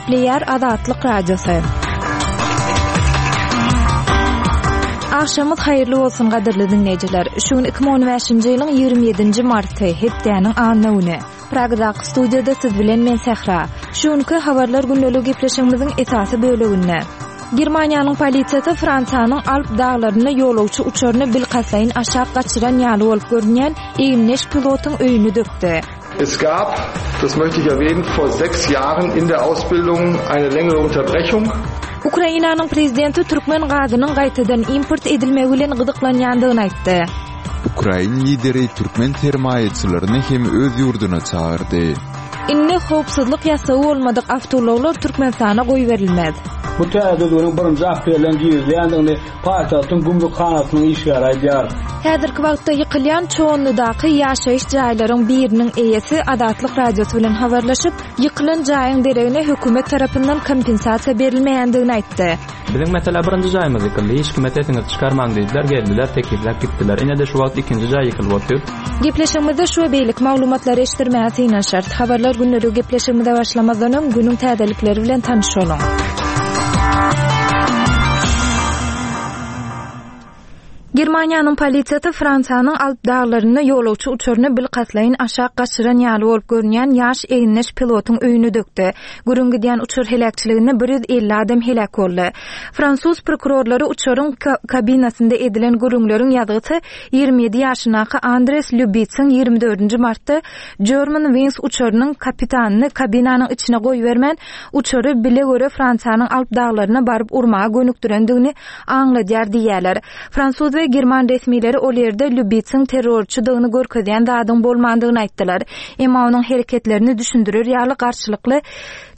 Gepleýär Azatlyk Radiosy. Agşamyňyz haýyrly bolsun gadyrly diňleýjiler. Şu gün 2015-nji ýylyň 27-nji marty, hepdäniň anna güni. Pragadaky studiýada siz bilen men Sähra. Şu günki Habarlar gündeligi gepleşigimiziň esasy böleginde Germaniýanyň polisiýasy Fransiýanyň Alp daglarynda ýolagçy uçaryny bilkastlaýyn aşak gaçyran ýaly bolup görünýän egindeş pilotyň öýüni dökdi. Es gab, das möchte ich erwähnen, vor sechs Jahren in der Ausbildung eine längere Unterbrechung. Ukrainanyň prezidenti türkmen gazynyň gaýtadan import edilmegi bilen gyzyklanýandygyny aýtdy. Ukrain lideri türkmen sermaýaçylaryny hem öz ýurduna çagyrdy. Indi howpsuzlyk ýassygy bolmadyk awtoulaglar Türkmenistana goýberilmez. Bu täze düzgüniň birinji aprelden girizilýändigini paýtagtyň gümrükhanasynyň işgäri aýdýar. Häzirki wagtda ýykylýan Çoganlydaky ýaşaýyş jaýlaryň biriniň eýesi Azatlyk Radiosy bilen habarlaşyp, ýykylan jaýyň deregine hökümet tarapyndan kompensasiýa berilmeýändigini aýtdy. Biziň meselä birinji jaýymyz ýykyldy, hiç kime sesiňizi çykarmaň diýdiler, geldiler, tekizläp gitdiler. Ine-de şu wagt ikinji jaý ýykylyp otyr. Gepleşigimizde şu we beýleki maglumatlary eşitdirmäge synanyşarys. Habarlar gündeligi gepleşigimize başlamazdan öň, günüň täzelikleri bilen tanyş boluň. Germaniýanyň polisiýasy Fransiýanyň Alp daglarynda ýolagçy uçaryny bilkastlaýyn aşak gaçyran ýaly bolup görünýän ýaş egindeş pilotyň öýüni dökdi. Gürrüň gidýän uçar heläkçiliginde 150 adam heläk boldy. Fransuz prokurorlary uçaryň kabinasynda edilen gürrüňleriň ýazgysy 27 ýaşyndaky Andres Lýubitsiň 24-nji martda Germanwings uçarynyň kapitanyny kabinanyň içine goýbermän, uçary bile-göre Fransiýanyň Alp daglaryna baryp urmaga gönükdirendigini aňladýar diýýärler. Fransuz we german resmileri ol ýerde Lýubitsiň terrorçydygyny görkezýän zadyň bolmandygyny aýtdylar. Emma onuň hereketlerini düşündirer ýaly garşylykly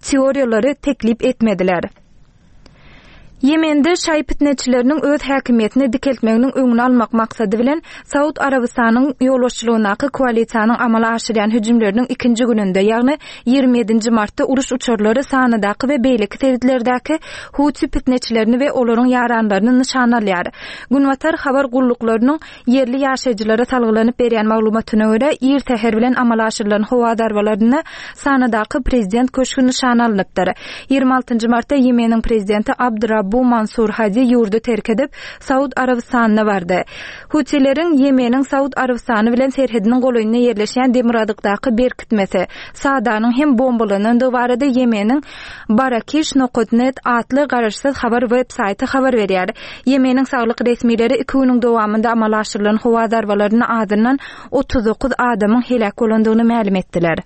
teoriýalary teklip etmediler. Ýemende şaýy pitneçileriniň öz häkimiýetini dikeltmeginiň öňüni almak maksady bilen Saud Arabystanyň ýolbaşçylygyndaky koalisiýanyň amala aşyrýan hüjümleriniň ikinji gününde, ýagny 27 nji martda uruş uçarlary Sanadaky we beýleki sebitlerdäki Huti pitneçilerini we olaryň ýaranlaryny nyşana alýar. Günbatar habar gulluklarynyň ýerli ýaşaýjylara salgylanyp berýän maglumatyna görä, ir säher bilen amala aşyrylan howa zarbalarynda Sanadaky prezident köşgi nyşana alnypdyr. 26 nji martda Ýemeniň prezidenti Abd Rabbu Mansur Hadi ýurdy terk edip, Saud Arabystanyna bardy. Hutileriň Ýemeniň Saud Arabystany bilen serhediniň golaýynda ýerleşýän demirgazykdaky berkitmesi, Sadanyň hem bombalanandygy barada Ýemeniň Barakiş nokat net atly garaşsyz habar web saýty habar berýär. Ýemeniň saglyk resmileri iki günüň dowamynda amala aşyrylan howa zarbalarynda azyndan 39 adamyň heläk bolandygyny mälim etdiler.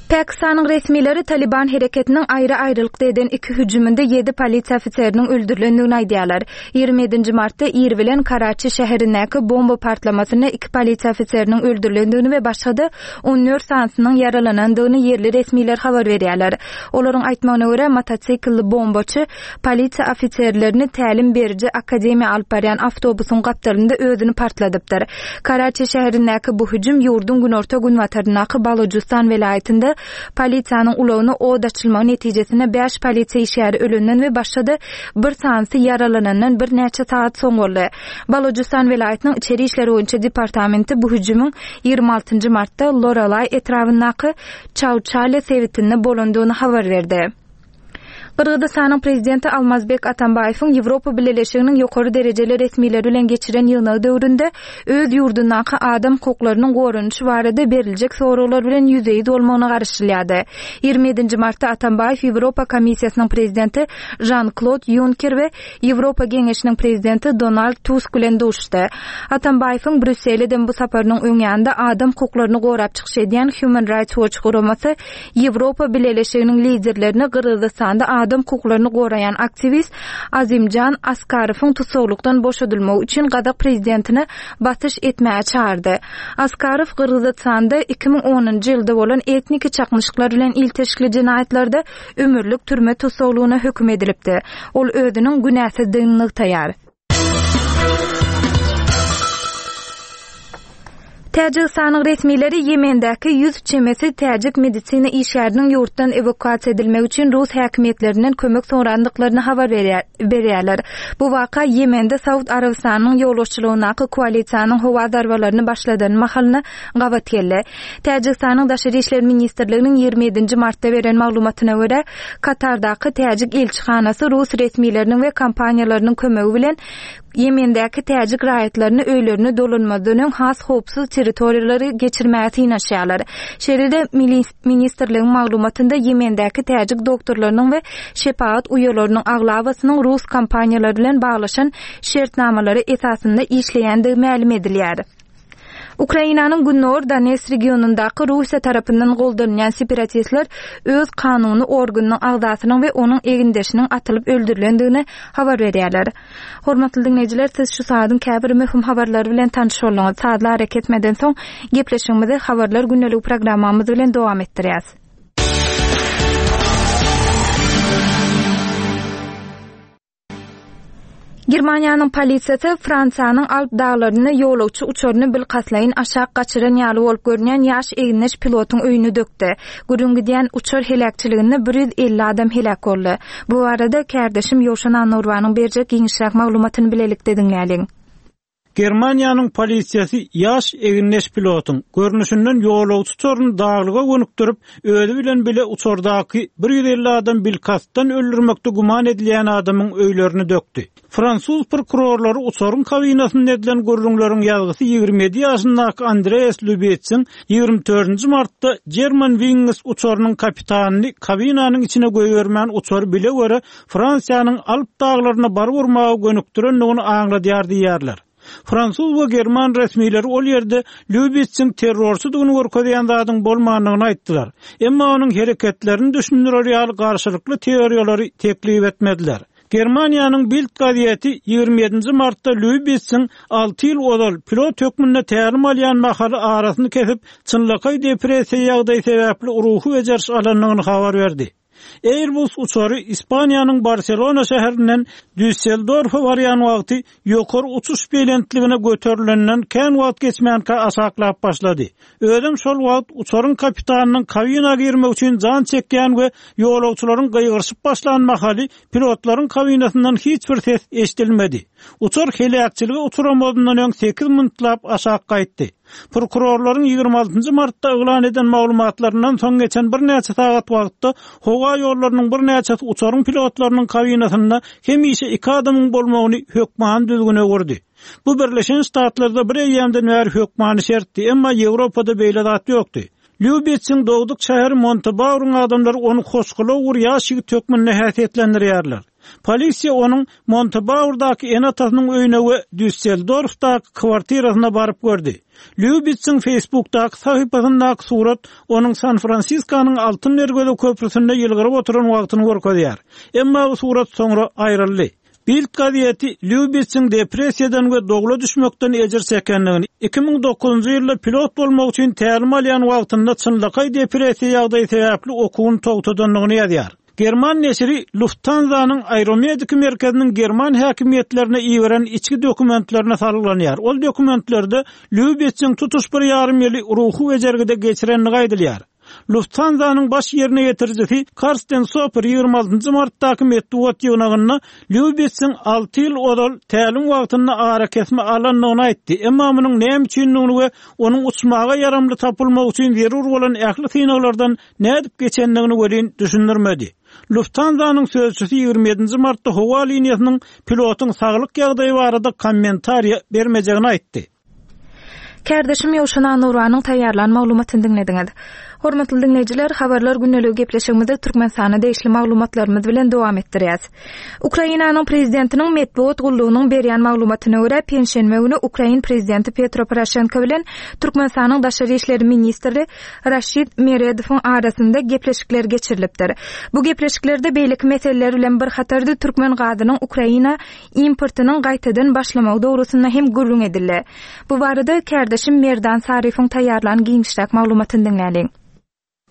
Pakistanyň resmileri Taliban hereketiniň aýry-aýrylykda eden iki hüjüminde ýedi polisiýa ofiseriniň öldürilendigini aýdýarlar. 27-nji martda ir bilen Karaçi şäherindäki bomba partlamasynda iki polisiýa ofiseriniň öldürilendigini we başga-da 14 sanysynyň ýaralanandygyny ýerli resmiler habar berýärler. Olaryň aýtmagyna görä, motosiklli bombaçy polisiýa ofiserlerini tälim beriji akademiýa alyp barýan awtobusyň gapdalynda özüni partladypdyr. Karaçi şäherindäki bu hüjüm ýurduň günorta-günbataryndaky Balujystan welaýatynda polisiýanyň ulagyna od açylmagy netijesinde bäş polisiýa işgäri ölenden we başga-da bir sanysy ýaralanandan birnäçe sagat soň boldy. Balujystan welaýatynyň içeri işler boýunça departamenti bu hüjümiň 26 martda Loralaý etrabyndaky Çauçale sebitinde bolandygyny habar berdi. Gyrgyzystanyň prezidenti Almazbek Atambaýewiň Ýewropa Bileleşiginiň ýokary derejeli resmileri bilen geçiren ýygnagy döwründe öz ýurdundaky adam hukuklarynyň goranyşy barada beriljek soraglar bilen ýüzbe-ýüz bolmagyna garaşylýardy. 27-nji martda Atambaýew Ýewropa Komissiýasynyň prezidenti Žan-Klod Ýunker we Ýewropa Geňeşiniň prezidenti Donald Tusk bilen duşuşdy. Atambaýewiň Brýussele eden bu saparynyň öň ýanynda adam hukuklaryny gorap çykyş edýän Human Rights Watch guramasy Ýewropa Bileleşiginiň liderlerini Gyrgyzystanda adam hukuklaryny goraýan aktiwist Azimjan Askarowyň tussaglykdan boşadylmagy üçin gazak prezidentine basyş etmäge çagyrdy. Askarow Gyrgyzytsanda 2010-njy ýylda bolan etniki çaknyşyklar bilen ilteşikli jenaýatlarda ömürlik türme tussaglygyna höküm edilipdi. Ol özüniň günäsizdigini nygtaýar. Täjigistanyň resmileri Ýemendäki 100 çemesi täjik medisina işgäriniň ýurtdan ewakuasiýa edilmegi üçin rus häkimiýetlerinden kömek sorandyklaryny habar berýärler. Bu waka Ýemende Saud Arabystanynyň ýolbaşçylygyndaky koalisiýanyň howa zarbalaryny başladan mahalyna gabat geldi. Täjigistanyň Daşary işler ministrliginiň 27-nji martda beren maglumatyna görä, Katardaky täjik ilçihanasy rus resmileriniň we kompaniýalarynyň kömegi bilen Ýemendäki täjik raýatlaryny öýlerine dolanmazdan öň has howpsuz territoriýalara geçirmäge synanyşýarlar. Şeýle-de, ministrligiň maglumatynda Ýemendäki täjik doktorlarynyň we şepagat uýalarynyň aglabasynyň rus kompaniýalary bilen baglaşan şertnamalary esasynda işleýändigi mälim edilýär. Ukrainanyň gündogar Donetsk regionyndaky Russiýa tarapyndan goldanylýan separatistler öz kanuny organynyň agzasynyň we onuň egindeşiniň atylyp öldürilendigini habar berýärler. Hormatly diňleýjiler, siz şu saadyň käbir möhüm habarlary bilen tanyş bolduňyz. Sazly arakesmeden soň gepleşigimizi Habarlar gündeligi programmamyz bilen dowam etdirýäs. Germaniýanyň polisiýasy Fransiýanyň Alp daglarynda ýolagçy uçaryny bilkastlaýyn aşak gaçyran ýaly bolup görünýän ýaş egindeş pilotyň öýüni dökdi. Gürrüň gidýän uçar heläkçiliginde 150 adam heläk boldy. Bu barada kärdeşim Ýowşan Annagurbanyň berjek giňişräk maglumatyny bilelikde diňläliň. Germaniýanyň polisiýasy ýaş egindeş pilotyň, görnüşinden ýolagçy uçaryny daglyga gönükdirip, özi bilen bile uçardaky 150 adam bilkastdan öldürmekde güman edilýän adamyň öýlerini dökdi. Fransuz prokurorlary uçaryň kabinasynda edilen gürrüňleriň ýazgysy 27 ýaşyndaky Andreas Lübetsiň 24-nji martda Germanwings uçarynyň kapitanyny kabinanyň içine goýbermän uçary bile-göre Fransiýanyň Alp daglaryna baryp urmaga gönükdirendigini aňladýar diýýärler. Fransuz we german resmileri ol ýerde Lýubitsiň terrorçydygyny görkezýän zadyň bolmandygyny aýtdylar. Emma onuň hereketlerini düşündirer ýaly garşylykly teoriýalary teklip etmediler. Germaniýanyň Bild gazeti 27-nji martda Lýubitsiň alty ýyl ozal pilot hökmünde tälim alýan mahaly arasyny kesip, çynlakaý depressiýa ýagdaýy sebäpli ruhy bejeriş alandygyny habar berdi. Airbus uçary Ispaniýanyň Barselona şäherinden Düsseldorfa barýan wagty ýokary uçuş belentligine göterilenden kän wagt geçmänkä aşaklap başlady. Özem şol wagt uçaryň kapitanynyň kabina girmek üçin jan çekýän we ýolagçylaryň gygyryşyp başlan mahaly pilotlaryň kabinasyndan hiç bir ses eşidilmedi. Uçar heläkçilige uçramazyndan öň sekiz minutlap aşak gaýtdy. Prokurorlaryň 26 nji martda yglan eden maglumatlaryndan soň geçen birnäçe sagat wagtda howa ýollarynyň birnäçesi uçaryň pilotlarynyň kabinasynda hemişe iki adamyň bolmagyny hökmany düzgüne öwürdi. Bu Birleşen Ştatlarda bir eýýämden bäri hökmany şertdi, emma Ýewropada beýle zat ýokdy. Lýubitsiň dogduk şäheri Montebauryň adamlary ony hoşgylaw bir ýaş ýigit hökmünde häsiýetlendirýärler. Polisiýa onuň Montebaurdaky ene-atasynyň öýüne we Düsseldorfdaky kwartirasyna baryp gördi. Lýubitsiň Facebookdaky sahypasyndaky surat onuň San-Fransiskonyň Altyn Derweze köprüsinde ýylgyryp oturan wagtyny görkezýär. Emma bu surat soňra aýryldy. Bild gazeti Lýubitsiň depressiýadan we dowla düşmekden ejir çekendigini, 2009-njy ýylda pilot bolmak üçin tälim alýan wagtynda çynlakaý depressiýa ýagdaýy sebäpli okuwyny togtadandygyny ýazýar. German neşiri Lufthansa-nyň aeromediki merkeziniň german häkimiýetlerine iberen içki dokumentlerine salgylanýar. Ol dokumentlerde Lýubitsiň tutuş bir ýarym ýyly ruhy bejergide geçirendigi aýdylýar. Lufthansa-nyň baş ýerine ýetirijisi Karsten Soper 26 martdaky metbugat ýygnagynda Lýubitsiň alty ýyl ozal tälim wagtynda arakesme alandygyny aýtdy, emma munuň näme üçindigini we onuň uçmaga ýaramly tapylmagy üçin zerur bolan ähli synaglardan nädip geçendigini welin düşündirmedi. Lufthansa-nyň sözçüsi 27 martda howa liniýasynyň pilotyň saglyk ýagdaýy barada kommentariýa bermejegini aýtdy. Kärdeşim Ýowşan Annurbanyň taýýarlan maglumatyny diňlediňiz. Hormatly diňleýjiler, Habarlar gündeligi gepleşigimizi Türkmenistana degişli maglumatlarymyz bilen dowam etdirýäs. Ukrainanyň prezidentiniň metbugat gullugynyň berýän maglumatyna görä, penşenbe güni ukrain prezidenti Petro Poroşenko bilen Türkmenistanyň daşary işler ministri Raşid Meredowyň arasynda gepleşikler geçirilipdir. Bu gepleşiklerde beýleki meseleler bilen bir hatarda türkmen gazynyň Ukraina importynyň gaýtadan başlamagy dogrusynda hem gürrüň edildi. Bu barada kärdeşim Merdan Saryýewiň taýýarlan giňişräk maglumatyny diňläliň.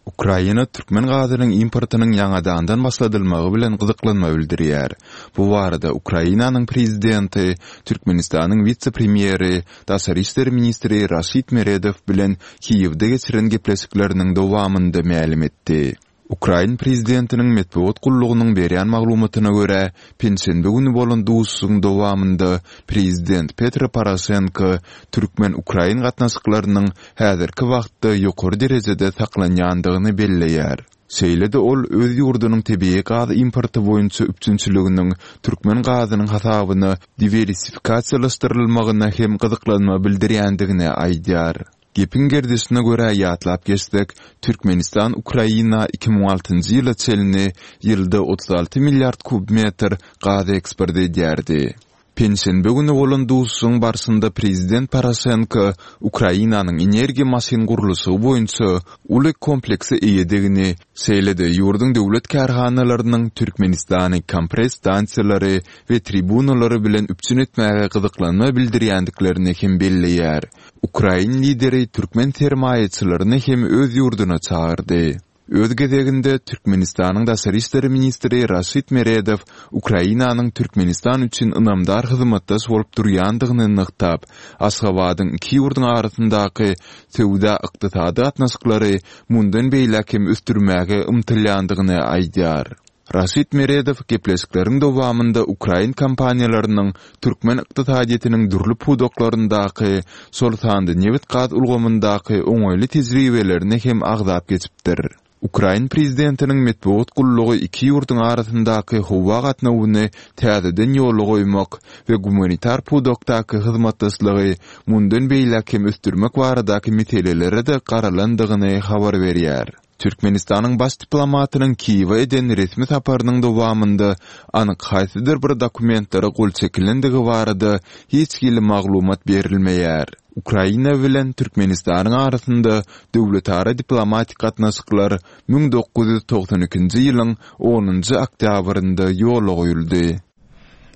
Ukraina türkmen gazynyň importynyň ýaňadandan başladylmagy bilen gyzyklanma bildirýär. Bu barada Ukrainanyň Prezidenti Türkmenistanyň wise-premýeri, daşary işler ministri Raşid Meredow bilen Kiýewde geçiren gepleşikleriniň dowamynda mälim etdi. Ukrain prezidentiniň metbugat gullugynyň berýän maglumatyna görä, penşenbe güni bolan duşuşygyň dowamynda prezident Petro Poroşenko türkmen-ukrain gatnaşyklarynyň häzirki wagtda ýokary derejede saklanýandygyny belleýär. Şeýle-de ol öz ýurdunyň tebigy gaz importy boýunça üpjünçiliginiň türkmen gazynyň hasabyna diwersifikasiýalaşdyrylmagyna hem gyzyklanma bildirýändigini aýdýar. Gepiň gerdişine görä ýatlap geçsek, Türkmenistan Ukraina 2006 njy ýyla çenli ýylda 36 milliard kub metr gaz eksport edýärdi. Penşenbe güni bolan duşuşygyň barşynda prezident Poroşenko Ukrainanyň energiýa maşyn gurluşygy boýunça uly komplekse eýedigini, şeýle-de ýurduň döwlet kärhanalarynyň Türkmenistany kompres stansiýalary we tribunalary bilen üpjün etmäge gyzyklanma bildirýändiklerini hem belleýär. Ukrain lideri türkmen sermaýaçylaryny hem öz ýurduna çagyrdy. Öz gezeginde, Türkmenistanyň daşary işler ministri Raşid Meredow Ukrainanyň Türkmenistan üçin ynamdar hyzmatdaş bolup durýandygyny nygtap, Aşgabadyň iki ýurduň arasyndaky söwda-ykdysady gatnaşyklary mundan beýläk hem ösdürmäge ymtylýandygyny aýdýar. Raşid Meredow gepleşikleriň dowamynda ukrain kompaniýalarynyň türkmen ykdysadyýetiniň dürli pudaklaryndaky, şol sanda nebit-gaz ulgamyndaky oňaýly tejribelerini hem agzap geçipdir. Ukrain prezidentiniň metbugat gullugy iki ýurduň arasyndaky howa gatnawyny täzeden ýola goýmak we gumanitar pudakdaky hyzmatdaşlygy mundan beýläk hem ösdürmek baradaky meselelere-de garalandygyny habar berýär. Türkmenistanyň baş diplomatynyň Kiýewe eden resmi saparynyň dowamynda anyk haýsydyr bir dokumentlere gol çekilendigi barada hiç hili maglumat berilmeýär. Ukraina bilen Türkmenistanyň arasynda döwletara diplomatik gatnaşyklar 1992-nji ýylyň onunjy oktýabrynda ýola goýuldy.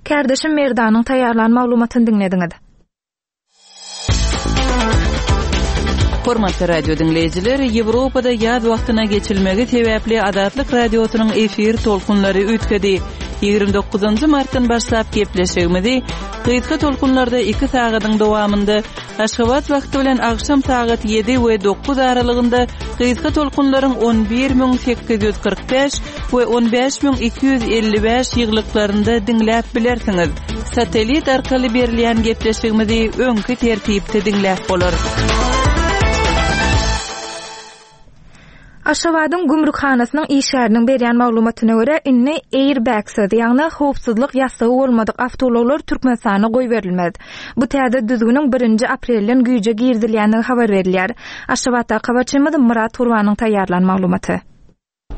Kärdeşim Merdanyň taýýarlan maglumatyny diňlediňiz. Hormatly radio diňleýjiler, Ýewropada ýaz wagtyna geçilmegi sebäpli Azatlyk Radiosynyň efir tolkunlary üýtgedi. 29-njy martdan başlap gepleşigimizi gysga tolkunlarda 2 sagadyň dowamynda Aşgabat wagty bilen agşam sagat 7 we 9 aralygynda gysga tolkunlaryň 11845 we 15255 ýyglyklarynda diňläp bilersiňiz. Satellit arkaly berilýän gepleşigimizi öňki tertipde diňläp bolar. Aşgabadyň gümrükhanasynyň işgäriniň berýän maglumatyna görä, indi airbag-syz, ýagny howpsuzlyk ýassygy bolmadyk awtoulaglar Türkmenistana goýberilmez. Bu täze düzgüniň birinji aprelden güýje girizilýändigi habar berilýär. Aşgabatdaky habarçymyz Myrat Gurbanyň taýýarlan maglumaty.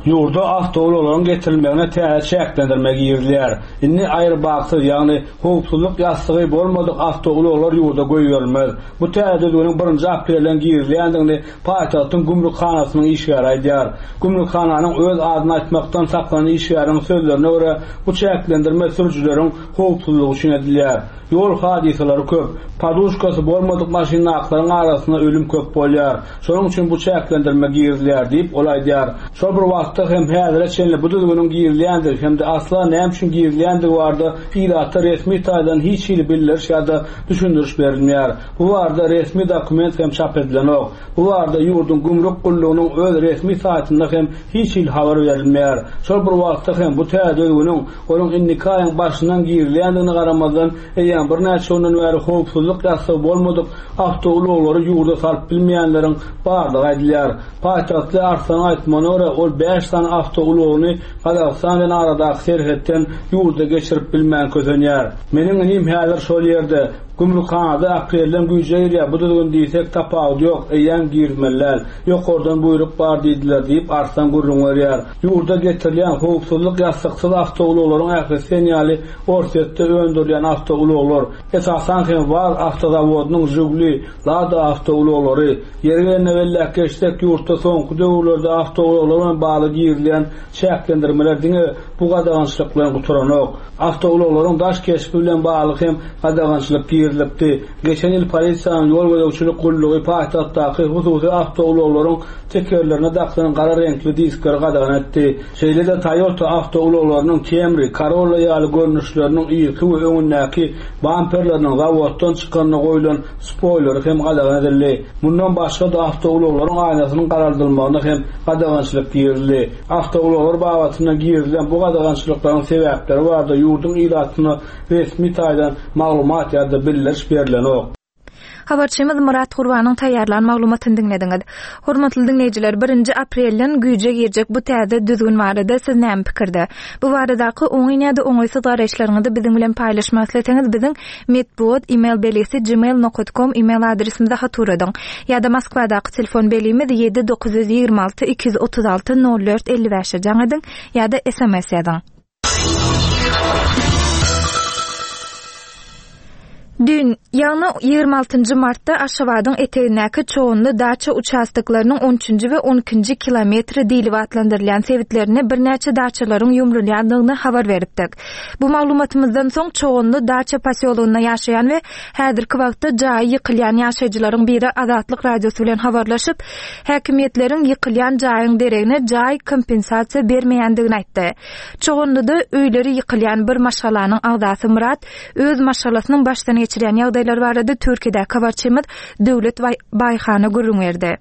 Ýurda awtoulaglaryň getirilmegine täze çäklendirme girizilýär. Indi aýrbagsyz, ýagny howpsuzlyk ýassygy bolmadyk awtoulaglar ýurda goýberilmez. Bu täze düzgüniň birinji aprelden girizilýändigini paýtagtyň gümrükhanasynyň işgäri aýdýar. Gümrükhananyň öz adyny aýtmakdan saklanan işgäriniň sözlerine görä, bu çäklendirme sürüjileriň howpsuzlygy üçin edilýär. Ýol hadysalary köp. Poduşkasy bolmadyk maşyndakylaryň arasynda ölüm köp bolýar. Şonuň üçin bu çäklendirme girizilýär diýip, ol aýdýar. Şol bir wagtda hem häzire çenli bu düzgüniň girizilýändigi hem-de asla näme üçin girizilýändigi barada ilata resmi taýdan hiç hili bildiriş ýa-da düşündiriş berilmeýär. Bu barada resmi dokument hem çap edilenok. Bu barada ýurduň gümrük gullugynyň öz resmi saýtynda hem hiç hili habar berilmeýär. Şol bir wagtda hem bu täze düzgüniň onuň indiki aýyň başyndan girizilýändigine garamazdan, eýýäm birnäçe günden bäri howpsuzlyk ýassygy bolmadyk awtoulaglary ýurda salyp bilmeýänleriň bardygy aýdylýar. Paýtagtly Arslanyň aýtmagyna görä, ol bäş sany awtoulagyny Gazagystan bilen aradaky serhetden ýurda geçirip bilmän kösenýär. Meniň inim häzir şol ýerde. Gümrükhanada aprelden güýje girýär bu düzgün diýsek, tapawudy ýok, eýýäm girizmeli däl. Ýokardan buýruk bar diýdiler diýip, Arslan gürrüň berýär. Ýurda getirilýän howpsuzlyk ýassyksyz awtoulaglaryň ählisi sen ýaly Orsýetde öndürilýän awtoulaglar. awtoulaglar, esasan hem WAZ awtozawodynyň Žiguli, Lada awtoulaglary. Ýeri gelende belläp geçsek, ýurtda soňky döwürlerde awtoulaglar bilen bagly girizilýän çäklendirmeler diňe bu gadagançylyk bilen gutaranok. Awtoulaglaryň daş keşbi bilen bagly hem gadagançylyk girizilipdi. Geçen ýyl polisiýanyň ýol gözegçilik gullugy paýtagtdaky hususy awtoulaglaryň tekerlerine dakylan gara reňkli diskleri gadagan etdi. Şeýle-de Toyota awtoulaglarynyň Camry, Corolla ýaly görnüşleriniň yzky we öňündäki bamperleriniň zawoddan çykanda goýlan spoýleri hem gadagan edildi. Mundan başga-da awtoulaglaryň aýnasynyň garaldylmagyna hem gadagançylyk girizildi. Awtoulaglar babatynda girizilen bu gadagançylyklaryň sebäpleri barada ýurduň ilatyna resmi taýdan maglumat ýa-da bildiriş berlenok. Habarçymyz Myrat Gurbanyň taýýarlan maglumatyny diňlediňiz. Hormatly diňleýjiler, birinji aprelden güýje girjek bu täze düzgün barada siz näme pikirde? Bu baradaky oňyn ýa-da oňaýsyz garaýyşlaryňyzy biziň bilen paýlaşmak isleseňiz biziň metbugat email belgisi gmail nokat kom email adresimize hat ugradyň. Ýa-da Moskwadaky telefon belgimiz 7 926 236 04 55-e jaň ediň ýa-da sms ýazyň. Düýn, ýagny 26-njy martda Aşgabadyň etegindäki Çoganly daça uçastoklarynyň on üçünji we on ikinji kilometri diýlip atlandyrylýan sebitlerinde birnäçe daçalaryň ýumrulýandygyny habar beripdik. Bu maglumatymyzdan soň Çoganly daça posýologynda ýaşaýan we häzirki wagtda jaýy ýykylýan ýaşaýjylaryň biri Azatlyk Radiosy bilen habarlaşyp, häkimiýetleriň ýykylýan jaýyň deregine jaý kompensasiýa bermeýändigini aýtdy. Çoganlyda öýleri ýykylýan bir maşgalanyň agzasy Myrat öz maşgalasynyň başdan geçirýän ýagdaýlary barada Türkiýedäki habarçymyz Döwlet Baýhana gürrüň berdi.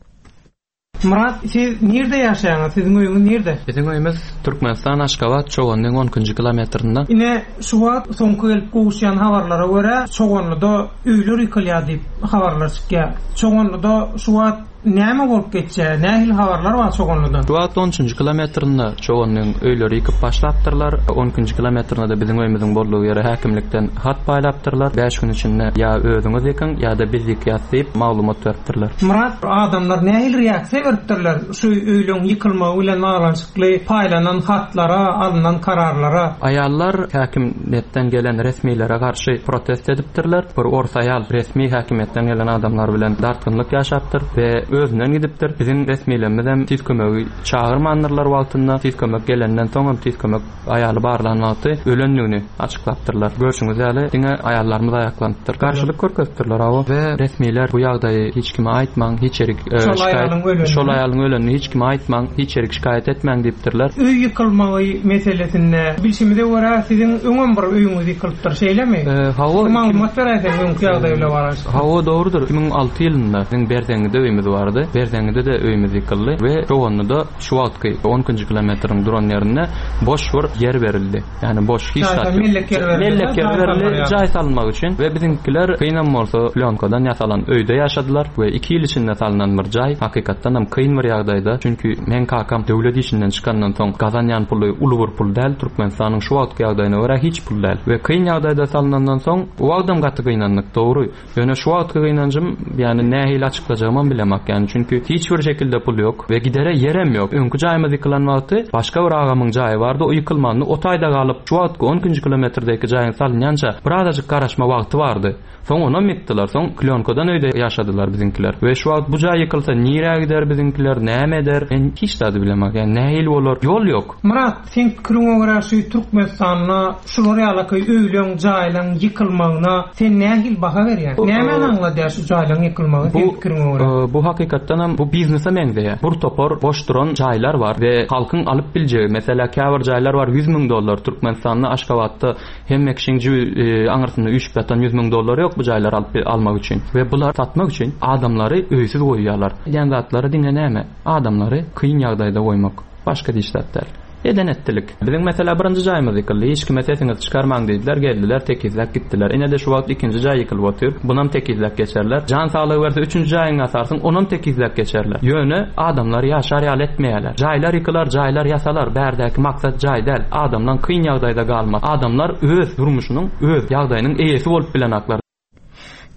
Myrat, siz nirde ýaşaýaňyz? Siziň öýüňiz nirde? Biziň öýümiz Türkmenistan, Aşgabat, Çoganlyň on ikinji kilometrinde. Ine, şu wagt soňky gelip gowuşýan habarlara görä, Çoganlyda öýler ýykylýar diýip habarlar çykýar. Çoganlyda şu wagt Näme bolup geçýär? Nähili habarlar bar Çoganlydan? Şu wagt on üçünji kilometrinde Çoganlyň öýleri ýykyp başlapdyrlar. On ikinji kilometrinde-de biziň öýümiziň boldugy ýere häkimlikden hat paýlapdyrlar. Bäş gün içinde ýa özüňiz ýykyň, ýa-da biz ýykýas diýip maglumat beripdirler. Myrat, adamlar nähili reaksiýa beripdirler şu öýleň ýykylmagy bilen baglanyşykly paýlanan hatlara, alnan kararlara? Aýallar häkimiýetden gelen resmilere garşy protest edipdirler. Bir ors aýal resmi häkimiýetden gelen adamlar bilen dartgynlyk ýaşapdyr we özünden gidipdir. Biziň resmilerimizem tiz kömegi çagyrmandyrlar wagtynda. Tiz kömek gelenden soňam tiz kömek aýaly barlan wagty ölendigini açyklapdyrlar. Görşüňiz ýaly, diňe aýallarymyz aýaklanypdyr. Garşylyk görkezipdirler hawa. We resmiler bu ýagdaýy hiç kime aýtmaň, hiç ýerik Şol aýalyň ölenini. Şol aýalyň ölenini hiç kime aýtmaň, hiç ýerik şikaýat etmäň diýipdirler. Öý ýykylmagy meselesinde bilşimize görä siziň öňem bir öýüňiz ýykylypdyr, şeýlemi? Hawa. Bir maglumat beräýseň öňki ýagdaý bilen baglanyşykly. Hawa dogrudyr. 2006 ýylynda biziň Berzeňňide öýümiz bardy. Berzeňňide-de öýümiz ýykyldy we Çoganlyda şu wagtky on ikinji kilometriň duran ýerinde boş bir ýer berildi. Ýagny boş hiç zat ýok. Mellek ýer berildi. Mellek ýer berildi jaý salynmak üçin we biziňkiler kynam bolsa plýonkadan ýasalan öýde ýaşadylar we iki ýyl içinde salnan bir jaý hakykatdan hem kyn bir ýagdaýda çünki meň kakam döwlet işinden çykandan soň gazanýan puly uly bir pul däl Türkmenistanyň şu wagtky ýagdaýyna görä hiç pul däl we kyn ýagdaýda salynandan soň o wagtam gaty gynandyk dogry Ýöne şu wagtky gynanjym, ýagny nähili açyklajagymam bilemak, ýagny çünki hiç bir şekilde pul ýok we gidere ýerem ýok. Öňki jaýymyz ýykylan wagty başga bir agamyň jaýy bardy, o ýykylmandy, o taýda galyp, şu wagtky on ikinji kilometrdäki jaýyň salynýança birazajyk garaşma wagty bardy. Soň onam ýykdylar, soň klýonkadan öýde ýaşadylar biziňkiler. We şu wagt bu jaý ýykylsa nirä gider biziňkiler, näme eder, men hiç zady bilemak, ýagny nähili bolar, ýol ýok. Myrat, Seň pikiriňe görä şu Türkmenistanda şular ýalaky öýleň, jaýlaň ýykylmagyna sen nähili baha berýäň? Nämäni aňladýar şu jaýlaň ýykylmagy seň pikiriňe görä? Bu hakykatdanam bu biznese meňzeýär. Bir topar boş duran jaýlar bar we halkyň alyp biljegi, meselä käbir jaýlar bar 100 müň dollar Türkmenistanda Aşgabatda hemme kişiň jübi aňyrsynda üýşüp ýatan 100 müň dollary ýok bu jaýlary alyp almak üçin we bular satmak üçin adamlary öýsüz goýýarlar. Edýän zatlary diňe näme? Adamlary kyn ýagdaýda goýmak. Başga hiç zat däl. Eden etdilik. Biziň meselä birinji jaýymyz ýykyldy. Hiç kime sesiňizi çykarmaň diýdiler. Geldiler, tekizläp gitdiler. Ine-de şu wagt ikinji jaý ýykylyp otyr. Bunam tekizläp geçerler. Jan saglygy berse üçünji jaýyňy ýasarsyň, onam tekizläp geçerler. Ýöne adamlar ýaşar ýaly etmeýärler. Jaýlar ýykylar, jaýlar ýasalar. Bärdäki maksat jaý däl. Adamlaň kyn ýagdaýda galmasy. Adamlar öz durmuşynyň, öz ýagdaýynyň eýesi bolup bilenaklar.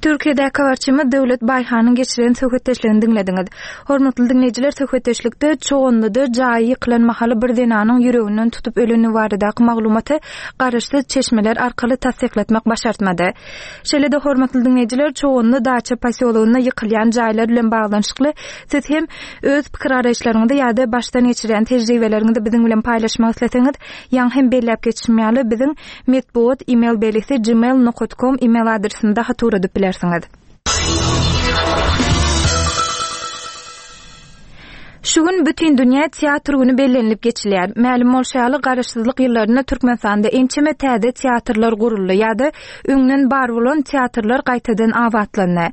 Türkiýedäki habarçymyz Döwlet Baýhanyň geçiren söhbetdeşligini diňlediňiz. Hormatly diňleýjiler, söhbetdeşlikde Çoganlyda jaýy ýykylan mahaly bir zenanyň ýüreginden tutup ölendigi baradaky maglumaty garaşsyz çeşmeler arkaly tassyklatmak başartmady. Şeýle-de hormatly diňleýjiler, Çoganly daça posýologynda ýykylýan jaýlar bilen baglanyşykly siz hem öz pikir-garaýyşlaryňyzy ýa-da başdan geçirýän tejribeleriňizi biziň bilen paýlaşmak isleseňiz, ýaňy hem belläp geçişim ýaly, biziň Metbugat email belgisi gmail nokat kom email adresimize hat ugradyp bilersiňiz. Şu gün Bütindünýä teatr güni bellenilip geçilýär. Mälim bolşy ýaly, Garaşsyzlyk ýyllarynda Türkmenistanda ençeme täze teatrlar guruldy ýa-da öňden bar bolan teatrlar gaýtadan abatlandy.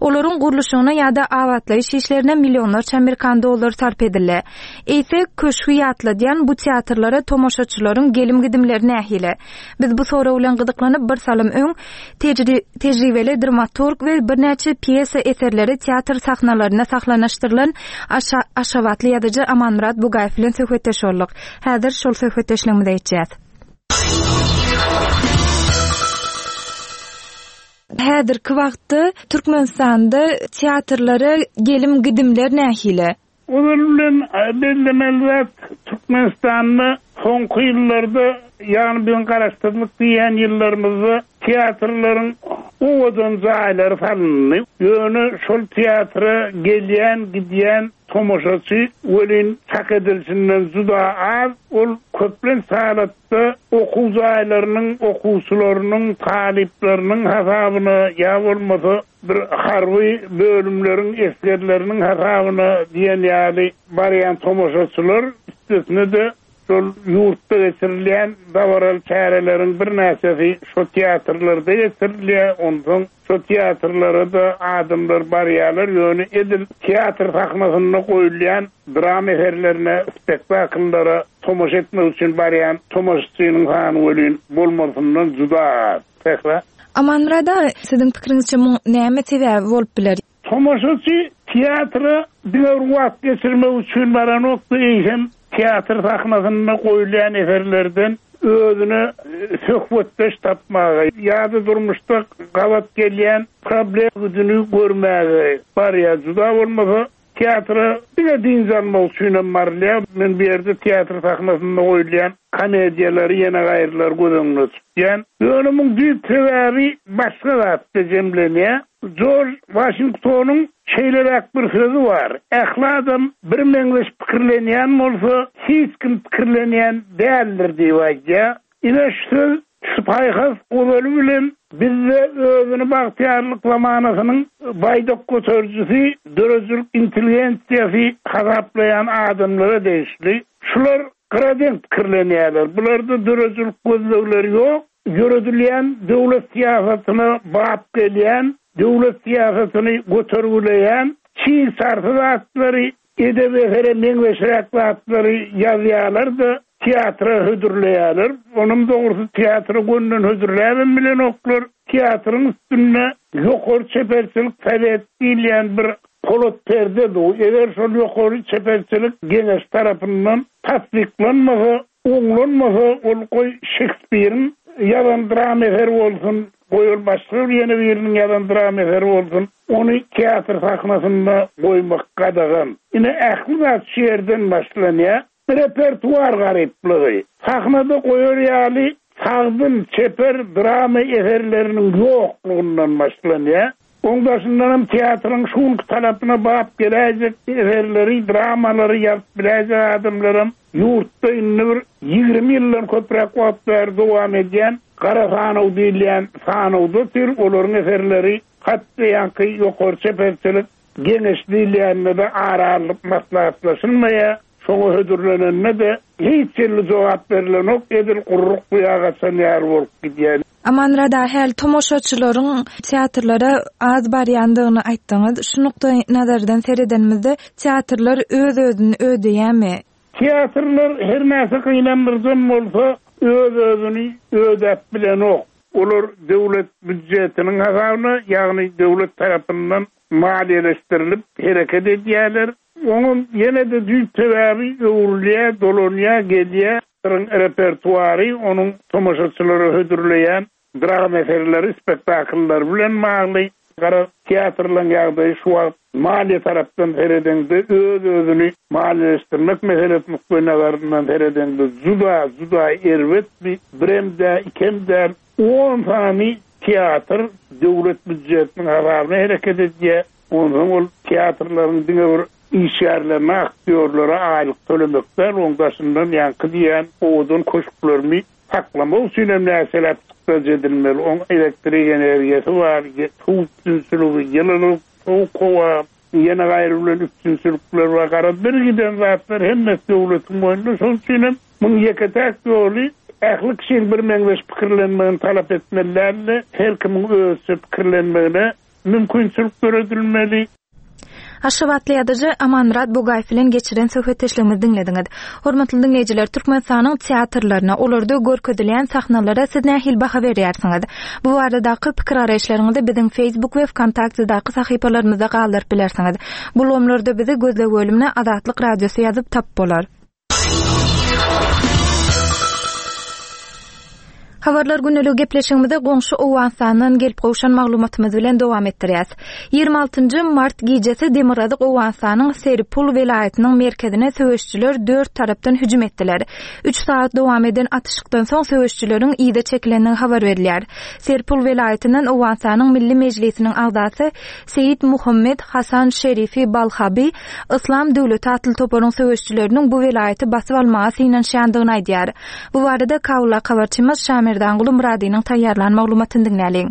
Olaryň gurluşygyna ýa-da abatlaýyş işlerine millionlarça amerikan dollary sarp edildi. Eýse, köşgi ýatladýan bu teatrlara tomaşaçylaryň gelim-gidimleri nähili? Biz bu sorag bilen gyzyklanyp, bir salym öň tejribeli dramaturg we birnäçe pýesa eserleri teatr sahnalarynda sahlanaşdyrylan aşgabatly ýazyjy Amanmyrat Bugaýew bilen söhbetdeş bolduk. Häzir şol söhbetdeşligimize geçýäs. Häzirki wagtda Türkmenistanda teatrlara gelim-gidimler nähili? Ozaly bilen bellemeli zat, Türkmenistanda soňky ýyllarda, ýagny biziň garaşsyzlyk diýýän ýyllarymyzda teatrlaryň owadan jaýlary salyndy. Ýöne şol teatra gelýän, gidýän tomaşaçy welin çak edilişinden juda az. Ol köplenç halatda okuw jaýlarynyň okuwçylarynyň, talyplarynyň hasabyna ýa bolmasa bir harby bölümleriň esgerleriniň hasabyna diýen ýaly barýan tomaşaçylar, üstesine-de şol ýurtda geçirilýän dabaraly çäreleriň birnäçesi şo teatrlarda geçirilýär, onsoň şo teatrlara-da adamlar barýarlar, ýöne edil teatr sahnasynda goýulýan drama eserlerine, spektakllara tomaşa etmek üçin barýan tomaşaçynyň sany welin bolmalysyndan juda az. Sähra. Amanmyrat aga, siziň pikiriňizçe muň näme sebäbi bolup biler? Tomaşaçy teatra diňe bir wagt geçirmek üçin baranok-da, eýsem, teatr sahnasynda goýulýan eserlerden özüne söhbetdeş tapmaga ýa-da durmuşda gabat gelýän problemini görmäge barýar. Juda bolmasa, Teatra diňe dynç almak üçinem barylýar. Men bu ýerde teatr sahnasynda goýulýan komediýalary ýene gaýrylary göz öňünde tutýan. Ýöne muň düýp sebäbi başga zatda jemlenýär. Jorj Waşingtonyň şeýleräk bir sözi bar, Ähli adam birmeňzeş pikirlenýän bolsa, hiç kim pikirlenýän däldir diýip aýdýar. Ine şu söz, şu paýhas ozaly bilen bizde özüni bagtyýarlyk zamanasynyň baýdak göterijisi, döredijilik intelligensiýasy hasaplaýan adamlara degişli. Şular gyradeň pikirlenýärler. Bularda döredijilik gözlegleri ýok. Ýöredilýän döwlet syýasatyna bap gelýän, döwlet syýasatyny götergileýän çig-çarsy zatlary Edebi esere meňzeşräk zatlary ýazýarlar-da, teatra hödürleýärler. Onam dogrusy teatra gönden hödürläbem bilenoklar. Teatryň üstünde ýokary çeperçilik sowet diýilýän bir polat perde dur. Eger şol ýokary çeperçilik geňeş tarapyndan tassyklanmasa, Oňlanmasa ol goý Şekspiriň ýazan drama eseri bolsun, goý ol başga bir ýene biriniň ýazan drama eseri bolsun, ony teatr sahnasynda goýmak gadagan. Ine ähli zat şu ýerden başlanýar. Repertuar garyplygy. Sahnada goýar ýaly sagdyn, çeper drama eserleriniň ýoklugyndan başlanýar. Oň daşyndanam teatryň şu günki talapyna bap geläýjek eserleri, dramalary ýazyp biläýjek adamlaram ýurtda indi bir 20 ýyldan köpräk wagt bäri dowam edýän gara sanaw diýilýän sanawda otyr, olaryň eserleri hat-da ýaňky ýokary çeperçilik geňeşi diýilýände-de ara alnyp maslahatlaşylmaýar. Şoňa hödürlenende-de hiç hili jogap berlenok, edil gurruk guýa gaçan ýaly bolup gidýär. Amanmyrat aga, häli tomaşaçylaryň teatrlara az barýandygyny aýtdyňyz. Şu nukdaý nazardan seredenimizde, teatrlar öz-özüni ödeýärmi? Teatrlar her näçe gynandyryjam bolsa, öz-özüni ödäp bilenok. Olar döwlet býudjetiniň hasabyna, ýagny döwlet tarapyndan maliýeleşdirilip hereket edýärler. Oňam ýene-de düýp sebäbi öwrülýär, dolanýar, gelýär. Teatryň repertuary onuň tomaşaçylara hödürleýän drama eserleri, spektakllary bilen bagly. Garaz, teatrlaryň ýagdaýy şu wagt maliýe tarapdan seredeňde, öz-özüni maliýeleşdirmek meselesi nukdaýnazaryndan seredeňde juda, juda erbet. Birem däl, ikem däl, on sany teatr döwlet býujetiniň hasabyna hereket edýär. Onsoň ol teatrlaryň diňe bir işgärlerine, aktýorlara aýlyk tölemek däl, oň daşyndan ýaňky diýýän owadan köşklerini saklamak üçin hem näçeläp çykdajy edilmeli. Oň elektrik energiýasy bar, suw üpjünçiligi, ýylylyk, sowuk howa, ýene gaýry bilen üpjünçilikler bar. Garaz, bir giden zatlar hemmesi döwletiň boýnunda. Şonuň üçin hem muň ýeke-täk ýoly ähli kişiň birmeňzeş pikirlenmegini talap etmeli däl-de, her kimiň özüçe pikirlenmegine mümkinçilik döredilmeli. Aşgabatly ýazyjy Amanmyrat Bugaýew bilen geçiren söhbetdeşligimizi diňlediňiz. Hormatly diňleýjiler, Türkmenistanyň teatrlaryna, olarda görkezilýän sahnalara siz nähili baha berýärsiňiz? Bu baradaky pikir-garaýyşlaryňyzy biziň Facebook we WKontaktedaky sahypalarymyzda galdyryp bilersiňiz. Bu ulgamlarda bizi gözleg bölümine Azatlyk Radiosy ýazyp tapyp bolar. Habarlar gündeligi gepleşigimizi goňşy Owganystandan gelip gowşan maglumatymyz bilen dowam etdirýäs. 26-njy mart gijesi Demirgazyk Owganystanyň Seripul welaýatynyň merkezine söweşijiler dört tarapdan hüjüm etdiler. Üç sagat dowam eden atyşykdan soň söweşijileriň yza çekilendigi habar berilýär. Seripul welaýatyndan Owganystanyň Milli Mejlisiniň agzasy Seýit Muhammet Hasan Şerifi Balhaby Yslam döwleti atly toparyň söweşijileriniň bu welaýaty basyp almaga synanyşýandygyny aýdýar. Bu barada Kabuldaky habarçymyz Şamerdanguly Myradynyň taýýarlan maglumatyny diňläliň.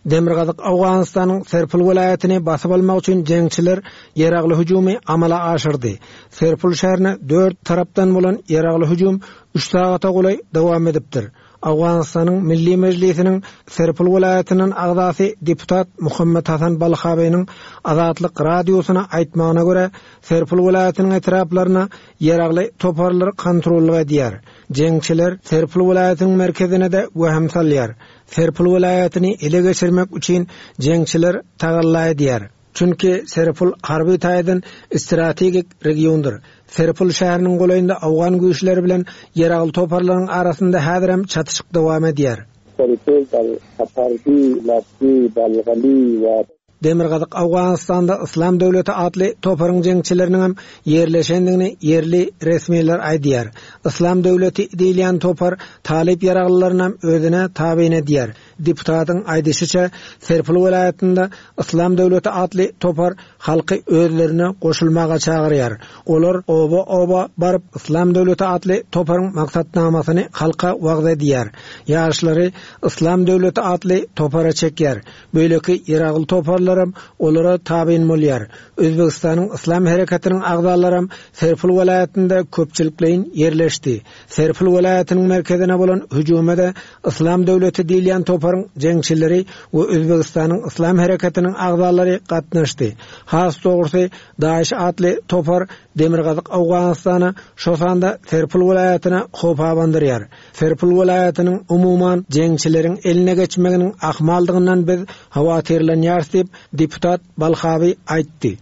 Demirgazyk Owganystanyň Serpul welaýatyny basyp almak üçin jeňçiler ýaragly hüjümi amala aşyrdy. Serpul şäherine dört tarapdan bolan ýaragly hüjüm üç sagata golaý dowam edipdir. Owganystanyň Milli Mejlisiniň Serpul welaýatyndan agzasy deputat Muhammet Hasan Balhabynyň Azatlyk Radiosyna aýtmagyna görä, Serpul welaýatynyň etraplaryna ýaragly toparlar kontrollyk edýär. Jeňçiler Serpul welaýatynyň merkezine-de wehim salýar. Serpul welaýatyny ele geçirmek üçin jeňçiler tagalla edýär. Çünki Serpul harby taýdan strategik regiondyr. Serpul şäheriniň golaýynda owgan güýçleri bilen ýaragly toparlaryň arasynda häzirem çatyşyk dowam edýär. Serpul, Balhapardi, Labdi, Balgali we. Demirgazyk Owganystanda Yslam döwleti atly toparyň jeňçileriniňem ýerleşendigini ýerli resmiler aýdýar. Yslam döwleti diýilýän topar talyp ýaraglylarynam özüne tabyn edýär. Deputatyň aýdyşyça, Serpil welaýatynda Yslam döwleti atly topar halky özlerine goşulmaga çagyrýar. Olar oba-oba baryp, Yslam döwleti atly toparyň maksatnamasyny halka wagyz edýär. Ýaşlary Yslam döwleti atly topara çekýär. Beýleki ýaragly toparlaram olara tabyn bolýar. Özbegistanyň Yslam hereketiniň agzalaram Serpil welaýatynda köpçülikleýin ýerleşdi. Serpil welaýatynyň merkezine bolan hüjüme-de Yslam döwleti diýilýän toparyň jeňçileri we Özbegistanyň Yslam hereketiniň agzalary gatnaşdy. Has dogrusy, DAIŞ atly topar Demirgazyk Owganystana, şo sanda Serpil welaýatyna howp abandyrýar. Serpil welaýatynyň umuman jeňçileriň eline geçmeginiň ahmaldygyndan biz howatyrlanýarys diýip, deputat Balhaby aýtdy.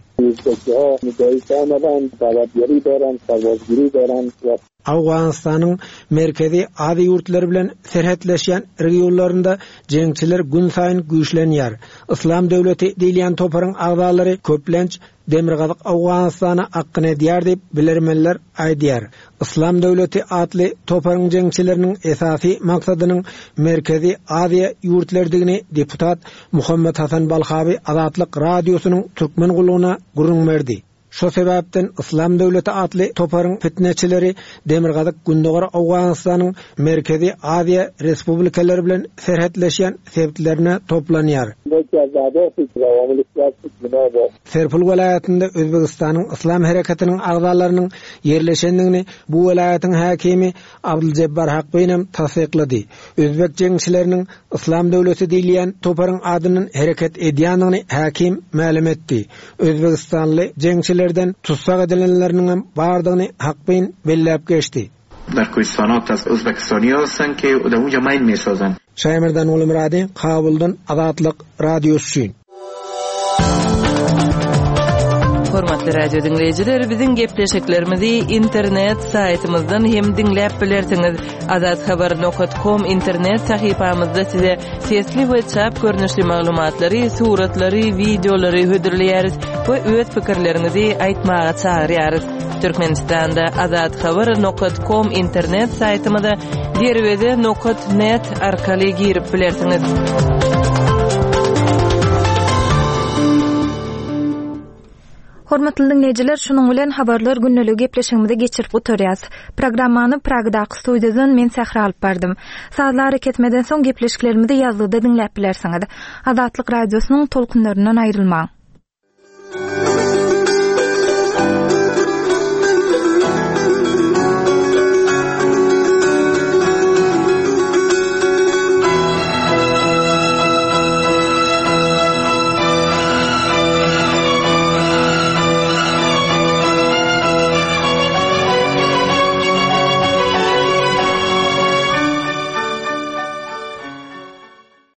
Owganystanyň Merkezi Aziýa ýurtlary bilen serhetleşýän regionlarynda jeňçiler günsaýyn güýçlenýär. Yslam döwleti diýilýän toparyň agzalary köplenç Demirgazyk Owganystana akgyn edýär diýip, bilermenler aýdýar. Yslam döwleti atly toparyň jeňçileriniň esasy maksadynyň Merkezi Aziýa ýurtlarydygyny deputat Muhammet Hasan Balhaby Azatlyk Radiosynyň Türkmen gullugyna gürrüň berdi. Şo sebäpden Yslam döwleti atly toparyň pitneçileri Demirgazyk-Gündogar Owganystanyň Merkezi Aziýa respublikalary bilen serhetleşýän sebitlerine toplanýar. Serpil welaýatynda Özbegistanyň Yslam hereketiniň agzalarynyň ýerleşendigini bu welaýatyň häkimi Abduljebbar Hakbinem tassyklady. Özbek jeňçileriniň Yslam döwleti diýilýän toparyň adyndan hereket edýändigini häkim mälim etdi. Özbegistanly jeňçilerden tussag edilenleriniňem bardygyny Hakbin belläp geçdi. Şaýmerdan Gulumyrady, Kabuldan Azatlyk Radiosy üçin. Hormatly radio diňleýjiler, biziň gepleşiklerimizi internet saýtymyzdan hem diňläp bilersiňiz. Azathabar nokat kom internet sahypamyzda size sesli we çap görnüşli maglumatlary, suratlary, wideolary hödürleýäris we öz pikirleriňizi aýtmaga çagyrýarys. Türkmenistanda Azathabar nokat kom internet saýtymyza derweze nokat net arkaly girip bilersiňiz. Hormatly diňleýjiler, şunuň bilen Habarlar gündeligi gepleşigimizi geçirip gutarýas. Programmany Pragadaky studiýadan men Sähra alyp bardym. Sazly arakesmeden soň gepleşiklerimizi ýazgyda diňläp bilersiňiz. Azatlyk Radiosynyň tolkunlaryndan aýrylmaň.